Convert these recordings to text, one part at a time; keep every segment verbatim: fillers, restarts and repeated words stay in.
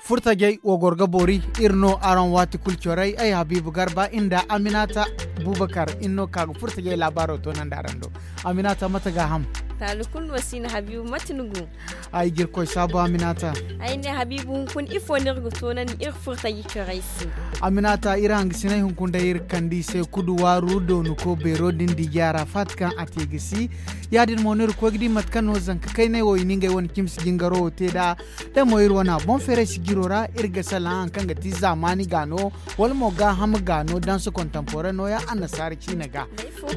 Furtajey wo goro ga boori. Iri no araŋ waati kulu corey ay habiibu garba iri nda aminata bubakar iri no ka ga furtajey laabaaro toonandi araŋ do. Aminata mate gaaham? Taali kulu no si no habiibu mate ni go? Ay ga iri koy saabu aminata. Ay ne habiibu hunkuna ifo no iri ga toonandi iri furtajey corey se? Aminata iri hangasiney hunkuna day iri ga kande i se kudu waaru doonako beero din dije arafat kaŋ a te ga si. Ya- din mo no iri koy ga di mate kaŋ no zanka kayney wo i na ngey wane cimsi jingaro wo te nd'a. Da mo iri wane boŋ feeray sijiro ra iri ga salaŋ hari kaŋ ga ti zaamaani gaano wala mo gaaham gaano danse kontanpore nooya annasaara ciine ga.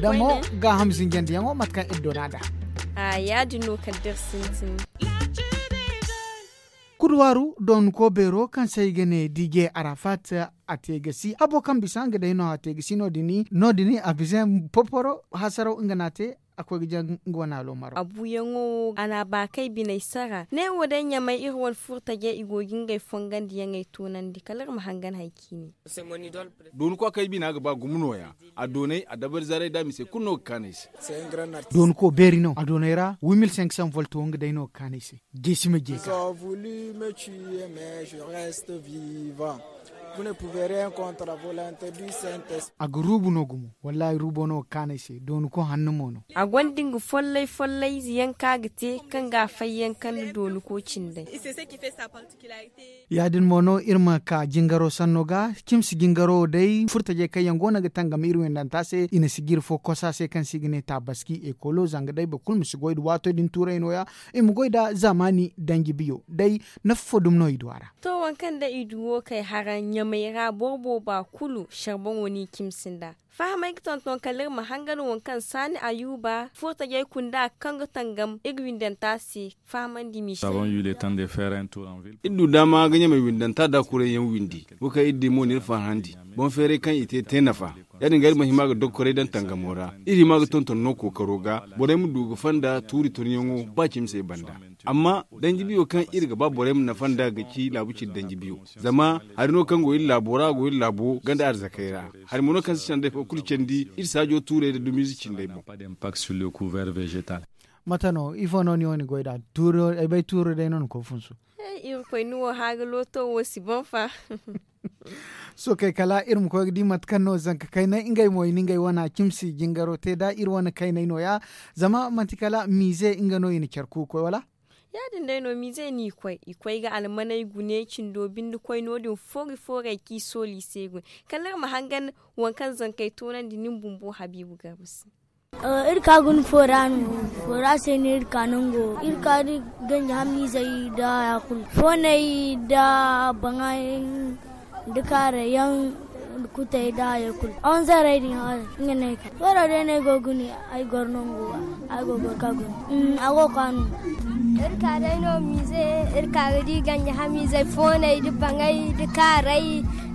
Da mo gaaham zinjandiyaŋo mate kaŋ iri doona nd'a. Ya- din no kala da iri sintin. Kudu waaru doonako beero kaŋ se i ga ne dije arafat a te ga si habo kaŋ bisa nga day no a te ga si no- din a bize poporo hasaraw nga no a te. A koy ga jaŋ nga wane aloomaro a buuyaŋo wo a na a baakay biney sara ne wo day ɲamay iri wane furtajey i go ga ngey fongandiyaŋey toonandi kala iri ma hangan hari ciine. Doonako a kay bina ga ba gumo nooya. A doonay a dabari zaray da mise kulu no ga kaanu ay se. Doonako beeri no a doonay ra wimil senk san volto nga day no ga kaanu ay se. Jeesi ma jeeka. A ga ruubu no gumo. Wallaahi ruubo no ga kaanu ay se doonako hanno mo no. A gonda nga follay follay ize yaŋ kaŋ a ga te kaŋ ga a fayyaŋ kande doonako cindey. Ya- din mo no iri ma ka jingaro sanno ga. Cimsi jingaro wo day furtajey kaŋ yaŋ go no ga tangam iri windanta se i na sijiri fo kosa se kaŋ se i ga ne taabaski ekolo zanga day boro kulu ma si goy nda waato din tuuray nooya. I ma goy nda zaamaani danji biyo day. Nafa fo dumi no i du a ra. To waŋ kaŋ day i du wo kay hara ɲamay ra boro booba kulu sharboŋo no i cimsi nd'a. Fahamey ga tonton kala iri ma hangan waŋ kaŋ saani ayuba furtajey kunda kaŋ ga tangam iri windanta se. Fahamandi michel. Iri du daama ga ɲamay windanta da kuray yaŋ windi. Wo kaŋ iri di mo na iri farhandi boŋ feeray kaŋ i te te nafa. Ya- din ga iri ma hima ga dokkoray daŋ tangamo ra. Iri hima ga tonton no kookaro ga borey ma du ga fanda tuuri tonyaŋo ba cimi se banda. Amma danji biyo kaŋ iri ga ba borey ma nafa nd'a ga ci laabu cindi danji biyo. Zama hari no kaŋ go iri laabo ra a go iri laabo ganda arzakey ra. Hari mo no kaŋ si canday fo kulu candi iri saajo tuurey nda dumiize cindey boŋ. Mate no ifo no ni wo ni goy nd'a? Ay bay tuuro day no ni koy funsu. Irkoy ni wo haaga looto wo si boŋ fa. Sookey kala iri ma koy ga di mate kaŋ no zanka kaynay ngey mo i na ngey wane cimsi jingaro te nd'a iri wane kaynay nooya. Zama manti kala miize nga no i na care kuukoy wala? Ya- din day no miize no i koy i koy ga almaney gune cindo binde koy no- din fooray fooray kaŋ i soolu i se goy. Kala iri ma hangan waŋ kaŋ zankey toonandi nin bumbo habiibu garba se. Iri ka guna foora no. Foora se no iri ka nango iri ka da ganji hamiizey nda haya kulu fooney nda baŋay nda kaaray yaŋ nda kutey nda haya kulu onzarey din haya. Nga no ay ka fooro day no ay go ga guna. Ay goro nango ga ay go ga goro ka guna. A go ga ka no. Iri ka day no miize iri ka ga di ganji hamiizey fooney nda baŋay nda kaaray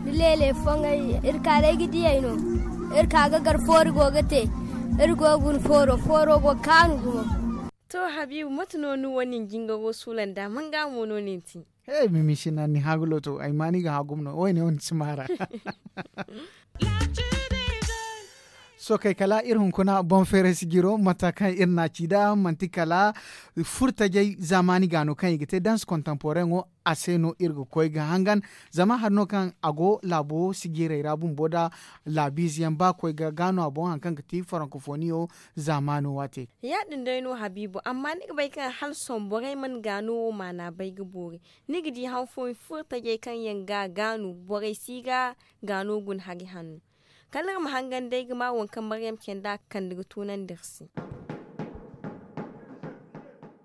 nda leele foŋey. Iri ka day ga diyey no. Iri ka ga gar foori go ga te. Iri go ga guna fooro fooro go ga kaanu gumo. To habiibu mate no ni wo nin jingaro suula nda manga mo no nin ti? He mimi sina ni haagulo to ay ma ni ga haagumo no wo- ne wo ni si maara. Sookey kala iri hunkuna boŋ feeray sijiro mate kaŋ iri n'a ci nd'a manti kala furtajey zaamaani ga no kaŋ i ga te danse kontanporeŋo. A se no iri ga koy ga hangan zama hari no kaŋ a go laabo sijirey ra bumbo nda laabiize yaŋ ba koy ga gaano a boŋ hari kaŋ ga ti farankofoniyo. Zaamaano waate. Ya- din day no habiibu amma ni ga bay kaŋ hala sohõ borey mana gaano wo maana bay ga boori. Ni ga di han fooyaŋ furo tajey kaŋ yaŋ ga gaanu borey si ga gaano guna hari hanno. Kala iri ma hangan day ga ma waŋ kaŋ maryam candi a ga kande ga tunandi iri se.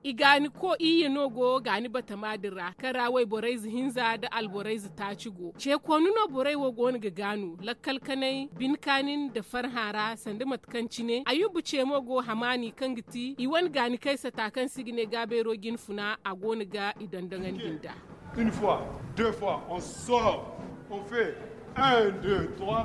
I gaani ko iyye no go gaani batama din ra kaŋ ra wayborey ze hinza nda alborey ze taaci go. Ce koonu no borey wo go no ga gaanu lakkal kanay bine kaani nda farhã ra sanda mate kaŋ cine ayuba ce mo go hamaani kaŋ ga ti i wane gaani kaysata kaŋ se i ga ne gaabeero jinfuna a go no ga i dondoŋandi nd'a. Une fois, deux fois on sort, on fait un deux trois.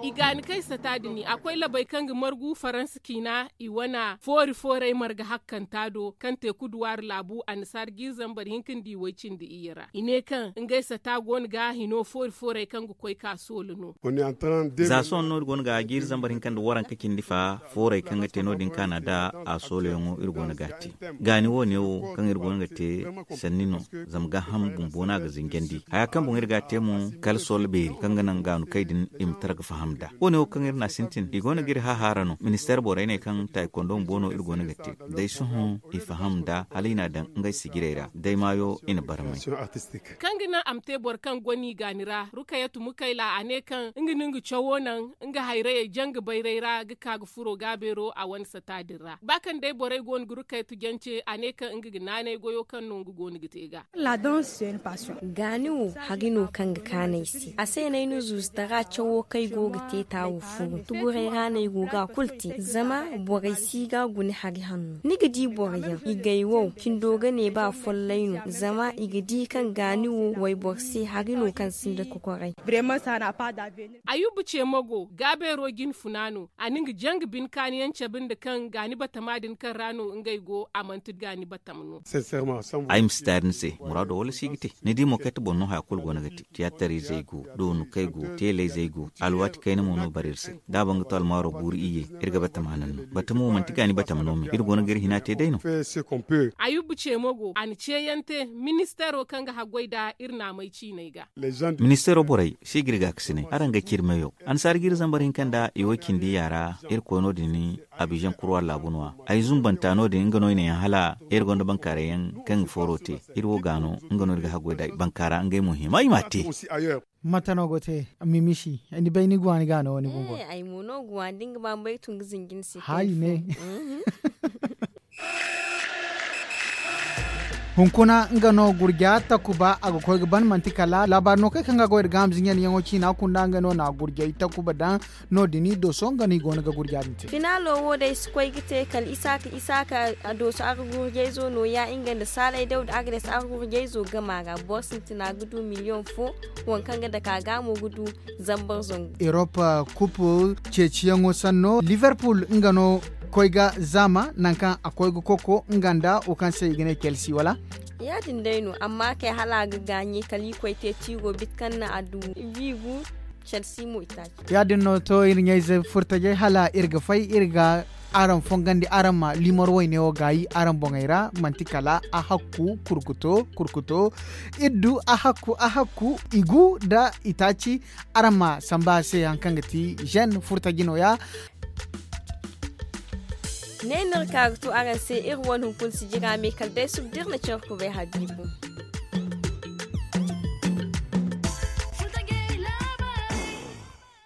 I gaani kay sata din a koy labey kaŋ ga margu faransa ciina i wana foori fooray marga hakkanta do kaŋ te kuduwaari laabu annasaara jiiri zambar hinka nda i way cindi iyye ra i ne kaŋ ngey sata go no ga hino foori fooray kaŋ ga koy ka soola no. Za sohõ no iri go no ga jiiri zambar hinka nda waranka cindi fa fooray kaŋ ga te no- din kaana da a soolayaŋo iri go no ga a te. Gaani wo- ne wo kaŋ iri go no ga te sanni no. Zama gaaham bumbo no a ga zinjandi haya kaŋ boŋ iri ga a te mo kala soola beeri kaŋ ga naŋ gaanu kay din i ma tara ga faham nd'a wo- ne wo kaŋ iri n'a sintin i go no ga iri hahaara no ministeer borey ne kaŋ taaykondo bumbo no iri go no ga te. Day sohõ i faham nd'a hala i n'a daŋ ngey sijirey ra day maayo i na barmay. Kaŋ ga naŋ a ma te boro kaŋ go no i gaani ra rukayatu mukayla a ne kaŋ nga no nga cawo naŋ nga hayrayey janga bayray ra ga ka ga furo gaabeero a wane sata din ra ba kaŋ day borey go no ga rukayatu jance a ne kaŋ nga ga naanay goyo kaŋ no nga go no ga te ga. Gaani wo hari no kaŋ ga kaanu ay se a se no ay na zuuzu tara cawo kaŋ ay go ga te taawo furu tuguray ra no ay go ga a kulu te zama borey si ga guna hari hanno ni ga di boro yaŋ i gay wow cindo ga ne ba follay no zama i ga di kaŋ gaani wo wayboro se hari no kaŋ sinda kokoray. Ayuba ce mago gaabeero jine funa no a na nga janga bine kaani yaŋ cabe nda kaŋ gaani batama din kaŋ ra no ngey go a manti gaani batama no. Ay ma si taari ni se muraado wala si ga te ni di mo kayta boŋ no haya kulu go no ga te tiyaatar izey go doonu kay go teeley zey go alwaati kayna mo no bare iri se da a ban ga to almaaro guuru iyye. Iri ga batama naŋ no batama wo manti gaani batama no me iri go no ga iri hina te day no. Ayuba ce mo go a na ceeyaŋ te ministeero kaŋ ga haggoy nd'a iri naamey ciiney ga. Ministeero borey si ga iri gaakasinay araŋ ga ciri meyo annasaara ga iri zambar hinka nda i wo cindi yaara iri koy no- din abizaŋ kurwa laabu no- ya ay zumbanta no- din nga no i ne yaŋ hala iri gonda bankaaray yaŋ kaŋ ga fooro te. Iri wo ga no nga no iri ga haggoy nd'a bankaara ngey mo hima i m'a te. Mate no go te? Mimisi ni bay ni guwa ni ga no ni bumbo. Ay mo no guwa da nga ba ma bay tun ga zinji ni se. Haayi ne. Hunkuna nga no gurja takuba a ga koy ga ban manti kala laabaari no kay kaŋ ga goy da gaaham zinjandi yaŋo ciina kunda nga no na gurjay takuba daŋ. No- din i do sohõ nga no i go no ga gurja din te. Finaalo wo day si koy ga te kala isaaka isaaka a dooso a ga gurjayzo nooya nga nda saalay dawda a ga day si a ga gurjayzo gama ra boro sintina ga du miliyoŋ fo. Waŋ kaŋ ga dake a ga mo ga du zambar zangu. Erop kup ceeciyaŋo sanno liverpool nga no koy ga zaama nangu kaŋ a koy ga koko nga nda wo kaŋ se i ga ne kelsi wala? Ya- din day no amma kay hala a ga gaaɲe kala i koy te tiiro biti kaŋ na a du biigu. Kelsi mo i taaci. Ya- din no to iri ɲayze furtajey hala iri ga fay iri ga araŋ fongandi araŋ ma liimar wayne wo gaayi araŋ boŋey ra manti kala a hakku kurkuto kurkuto. Iri du a hakku a hakku i gu nda i taaci. Araŋ ma samba a se hari kaŋ ga ti zen furtaji nooya. Ne no iri ka ga tu araŋ se iri wane hunkuna sijira me kala day suba da iri na care kubay habiibu.